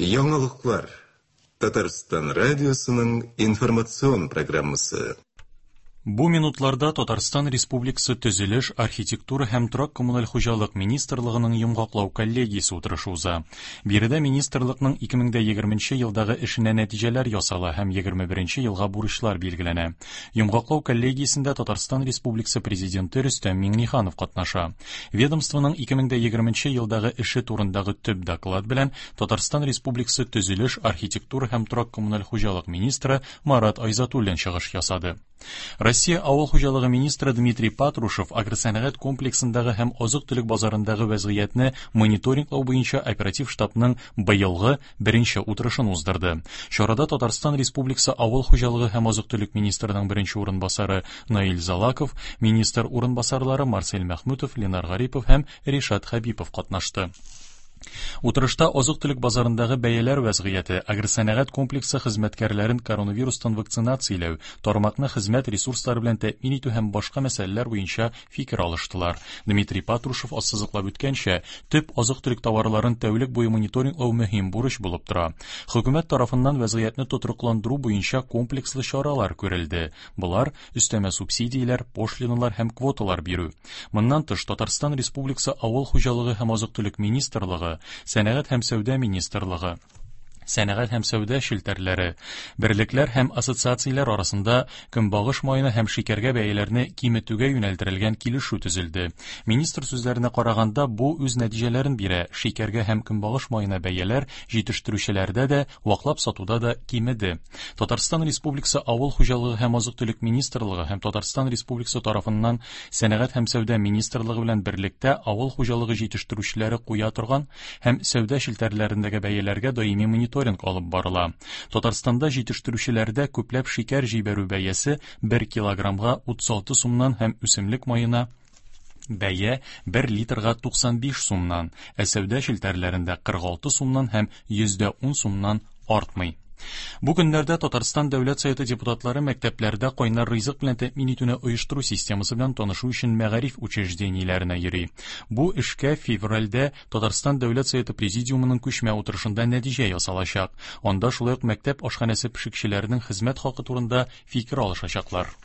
Яңалыклар. Татарстан радиосының информацион программасы. Бу минутларда Татарстан Республикасы Төзелеш, архитектура һәм торак-коммуналь хуҗалык министрлыгының йомгаклау коллегиясе утырышы уза. Биредә министрлыкның 2020 елдагы эшенә нәтиҗәләр ясала һәм 21 елга бурычлар билгеләнә. Йомгаклау коллегиясендә Татарстан Республикасы Президенты Рөстәм Миңнеханов катнаша. Ведомствоның 2020 елдагы эше турындагы төп доклад белән Татарстан Республикасы Төзелеш, архитектура һәм торак-коммуналь хуҗалык министры Марат Айзатуллин чыгыш ясады. Россия авыл хуҗалыгы министры Дмитрий Патрушев агросәнәгать комплексындагы һәм азык-төлек базарындагы вәзгыятьне мониторинглау буенча оператив штабның быелгы беренче утырышын уздырды. Чарада Татарстан Республикасы авыл хуҗалыгы һәм азык-төлек министрының беренче урынбасары Наил Залаков, министр урынбасарлары Марсель Мәхмүтов, Ленар Гарипов һәм Ришат Хәбипов катнашты. Утырышта азык-төлек базарындагы бәяләр вәзгыяте, агросәнәгать комплексы хезмәткәрләрен коронавирустан вакцинацияләү, тармакны хезмәт ресурслары белән тәэмин итү һәм башка мәсьәләләр буенча фикер алыштылар. Дмитрий Патрушев ассызыклап үткәнчә, төп азык-төлек товарларын тәүлек буе мониторинглау мөһим бурыч булып тора. Хөкүмәт тарафыннан вәзгыятьне тотрыкландыру буенча комплекслы чаралар күрелде. Болар, өстәмә субсидияләр, пошлиналар һәм квоталар бирү. Моннан тыш, Татарстан Республикасы Авыл хуҗалыгы һәм азык-төлек министрлыгы, Сәнәгать һәм сәүдә министрлыгы, сәнәгать һәм сәүдә челтәрләре, берлекләр һәм ассоциацияләр арасында көнбагыш маена һәм шикәргә бәяләрне киметүгә юнәлдерелгән килешү төзелде. Министр сүзләренә караганда, бу үз нәтиҗәләрен бирә, шикәргә һәм көнбагыш маена бәяләр җитештерүчеләрдә дә, ваклап сатуда да кимеде. Татарстан Республикасы Авыл хуҗалыгы һәм азык-төлек министрлыгы һәм Татарстан Республикасы тарафыннан Сәнәгать һәм сәүдә министрлыгы белән берлектә авыл хуҗалыгы җитештерүчеләре куя торган һәм сәүдә челтәрләрендәге бәяләргә даими мониторинг алып барыла. Татарстанда җитештерүчеләрдә күпләп шикәр җибәрү бәясе 1 килограммга 36 сумнан һәм үсемлек маена бәя 1 литрга 95 сумнан, ә сәүдә челтәрләрендә 46 сумнан һәм 110 сумнан артмый. Бу көннәрдә Татарстан Дәүләт Советы депутатлары мәктәпләрдә кайнар ризык белән тәэмин итүне оештыру системасы белән танышу өчен мәгариф учреждениеләренә йөри. Бу эшкә февральдә Татарстан Дәүләт Советы Президиумының күчмә утырышында нәтиҗә ясалачак. Анда шулай ук мәктәп ашханәсе пешекчеләренең хезмәт хакы турында фикер алышачаклар.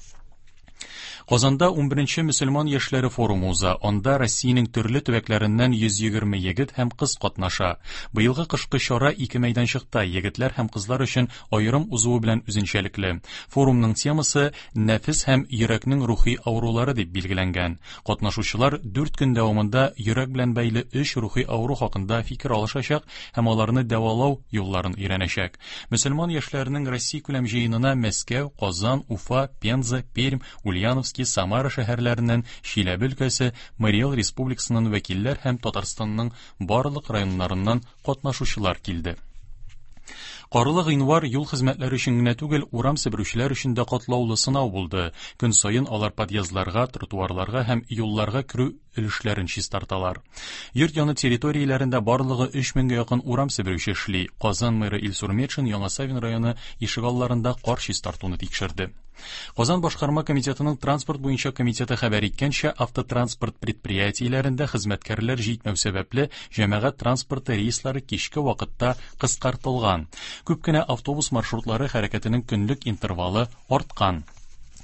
Казанда 11нче мөселман яшьләре форумы уза. Анда Россиянең төрле төбәкләреннән 120 егет һәм кыз катнаша. Быелгы кышкы чара ике мәйданчыкта егетләр һәм кызлар өчен аерым узуы белән үзенчәлекле. Форумның темасы нәфес һәм йөрәкнең рухи авырулары дип билгеләнгән. Катнашучылар 4 көн дәвамында йөрәк белән бәйле өч рухи авыру хакында фикер алышачак һәм аларны дәвалау юлларын өйрәнәчәк. Мөселман яшьләренең Россиякүләм җыенына Мәскәү, Казан, Уфа, Пенза, Пермь, Ульяновски, Самара шәһәрләреннән, Чиләбе өлкәсе, Мари Эл Республикасыннан вәкилләр һәм Татарстанның барлык районнарыннан катнашучылар килде. Карлы гыйнвар юл хезмәтләре өчен генә түгел, урам себерүчеләр өчен дә катлаулы сынау булды. Көн саен алар подъездларга, тротуарларга һәм юлларга керү өлешләрен чистарталар. Йорт яны территорияләрендә барлыгы 3 меңгә якын урам себерүче эшли. Казан мэры Илсур Метшин Яңа Савин районы ишегалларында кар чистартуны тикшерде. Казан башкарма комитетының транспорт буенча комитеты хәбәр иткәнчә, автотранспорт предприятиеләрендә хезмәткәрләр җитмәү сәбәпле, җәмәгать транспорты рейслары кичке вакытта кыскартылган. Күп кенә автобус маршрутлары хәрәкәтенең көнлек интервалы арткан.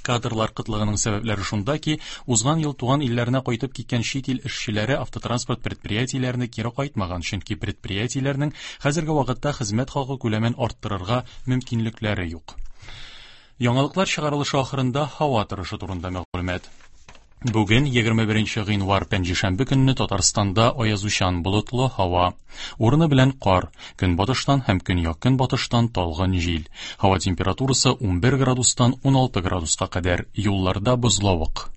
Кадрлар кытлыгының сәбәпләре шунда ки, узган ел туган илләренә кайтып киткән чит ил эшчеләре автотранспорт предприятиеләренә кире кайтмаган, чөнки предприятиеләрнең хәзерге вакытта хезмәт хакы күләмен арттырырга мөмкинлекләре юк. Яңалыклар чыгарылышы ахырында һава торышы турында мәгълүмат. Бүген 21 гыйнвар пәнҗешәмбе көнне Татарстанда аязучан болытлы һава. Урыны белән кар, көнбатыштан һәм көньяк-көнбатыштан талгын җил. Һава температурасы 11 градустан 16 градуска кадәр, юлларда бозлавык.